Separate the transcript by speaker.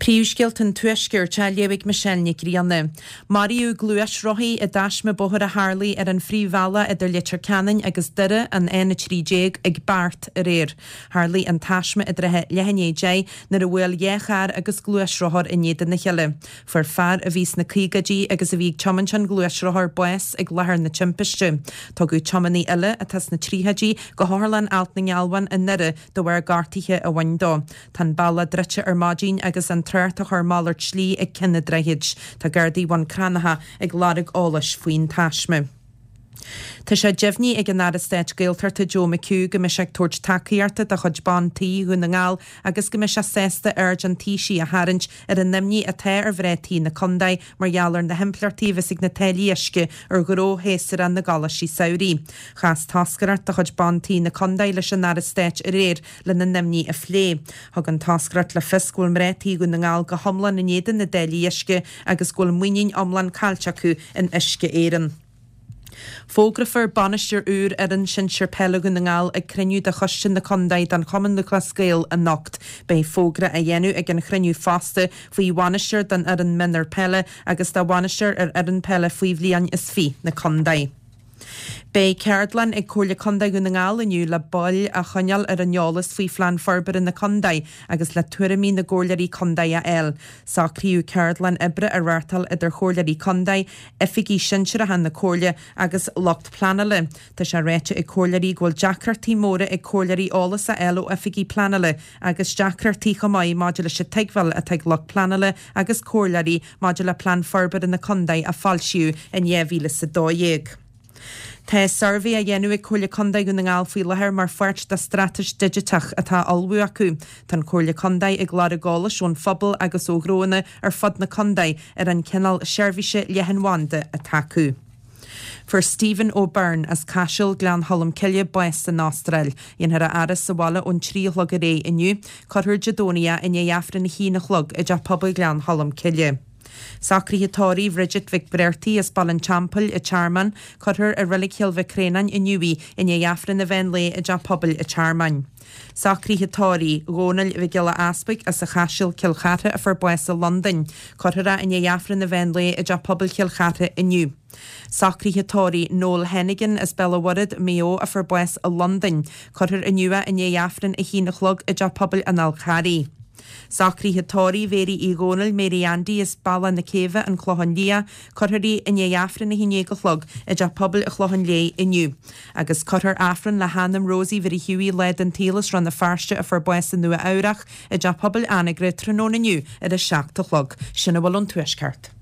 Speaker 1: Príomhscéalta an Tuaiscirt á léamh ag Michelle Nic Grianna. Maraíodh gluaisrothaí i dtaisme bóthair a tharlaigh ar an phríomhbhealach idir Leitir Ceanainn agus Doire, an N13, ag Beart aréir. Tharlaigh an taisme i dtrátha leath i ndiaidh 10 nuair a bhuail dhá charr agus gluaisrothar in éadan a chéile. Fuair fear a bhí sna caogaidí agus a bhí ag tiomáint an ghluaisrothair bás ag láthair na timpiste. Tugadh tiománaí eile, atá sna tríochaidí, go hOtharlann Ailt na nGealbhan i nDoire de bharr gortuithe a bhain dó. Tá an bealach druidte ar maidin agus an trácht á chur malairt slí ag Cionn an Droichid. Tá Gardaí Bhun Cranncha ag lorg eolais faoin taisme. Tá sé deimhnithe ag an Aire Stáit Gaeltachta Joe McHugh go mbeidh sé ag tabhairt tacaíochta do chuid ban tí Dhún na nGall agus go mbeidh sé sásta aird an Taoisigh a tharraingt ar an imní atá ar mhná tí na contae mar gheall ar na himpleachtaí a bheas ag na táillí uisce ar ghnó shéasúrach na gcoláistí samhraidh. Chas toscaireacht de chuid ban tí na contae leis an Aire Stáit aréir lena n-imní a phlé. Thug an toscaireacht le fios go bhfuil mná tí Dhún na nGall go hiomlán in éadan na dtáillí uisce agus go bhfuil muinín iomlán caillte acu in Uisce Éireann. Fógrófar bainisteoir úr fhoireann sinsir peile Dhún na nGall ag cruinniú de choiste na contae den Chumann Lúthchleas Gael anocht. Beidh fógra á dhéanamh ag an chruinniú fosta faoi bhainisteoir don fhoireann mionúr peile agus do bhainisteoir ar fhoireann peile faoi bhliain is fiche na contae. Beidh ceardlann ag Comhairle Contae Dhún na nGall inniu le baill a choinneáil ar an eolas faoi Phlean Forbartha na Contae agus le tuairimí na gComhairleoirí Contae a fháil. Socraíodh ceardlann oibre a reáchtáil idir Chomhairleoirí Contae, oifigigh shinsearacha na Comhairle agus lucht pleanála. Tá sé ráite ag comhairleoirí go bhfuil deacrachtaí móra ag comhairleoirí eolas a fháil ó oifigigh pleanála agus deacrachtaí chomh maith maidir leis an tuigbheáil atá ag lucht pleanála agus comhairleoirí maidir le Plean Forbartha na Contae a foilsíodh in 2012. Tá suirbhé á dhéanamh ag Comhairle Contae Dhún na nGall faoi láthair mar pháirt dá straitéis digiteach atá á ullmhú acu. Tá an Chomhairle Contae ag lorg eolais ón phobal agus ó ghnóanna ar fud na contae ar an cineál seirbhíse leathanbhanda atá acu. Fuair Stephen O'Byrne as Caiseal, Gleann Cholm Cille, bás san Astráil. Dhéanfar a fhaire sa bhaile ón 3 a chlog aréir inniu. Cuirfear Dé Domhnaigh é i ndiaidh Aifreann a haon a chlog i dTeach Pobail Ghleann Cholm Cille. Socruithe tórraimh Bhridget Mhic Bhreartaigh as Baile an Teampaill, an Tearmann. Cuirfear i Reilig Chill Mhic Réanáin inniu í i ndiaidh Aifreann an mheán lae i dTeach Pobail an Tearmainn. Socruithe tórraimh Dhónaill Mhic Giolla Easpaig as an Chaiseal, Cill Chartha a fuair bás i Londain. Cuirfear é i ndiaidh Aifreann an mheán lae i dTeach Pobail Chill Chartha inniu. Socruithe tórraimh Noel Hennigan as Béal an Mhuirthead, Maigh Eo a fuair bás i Londain. Cuirfear inniu é i ndiaidh Aifreann 1 a chlog i dTeach Pobail an Fhál Charraigh. Socruithe tórraimh Mhéirí Uí Dhónaill, Mary Andy as Bealach na Céibhe, An Clochán Liath, Cuirfear í i ndiaidh Aifreann 11 a chlog i dTeach Pobail an Chlocháin Léith inniu. Agus cuirfear Aifreann le hanam Rosie Mhary Hughie lá den tsaol as Rann na Feirste a fuair bás i Nua Eabhrach i dTeach Pobail Anagaire tráthnóna inniu ar a 7 a chlog. Sin a bhfuil ón Tuaisceart.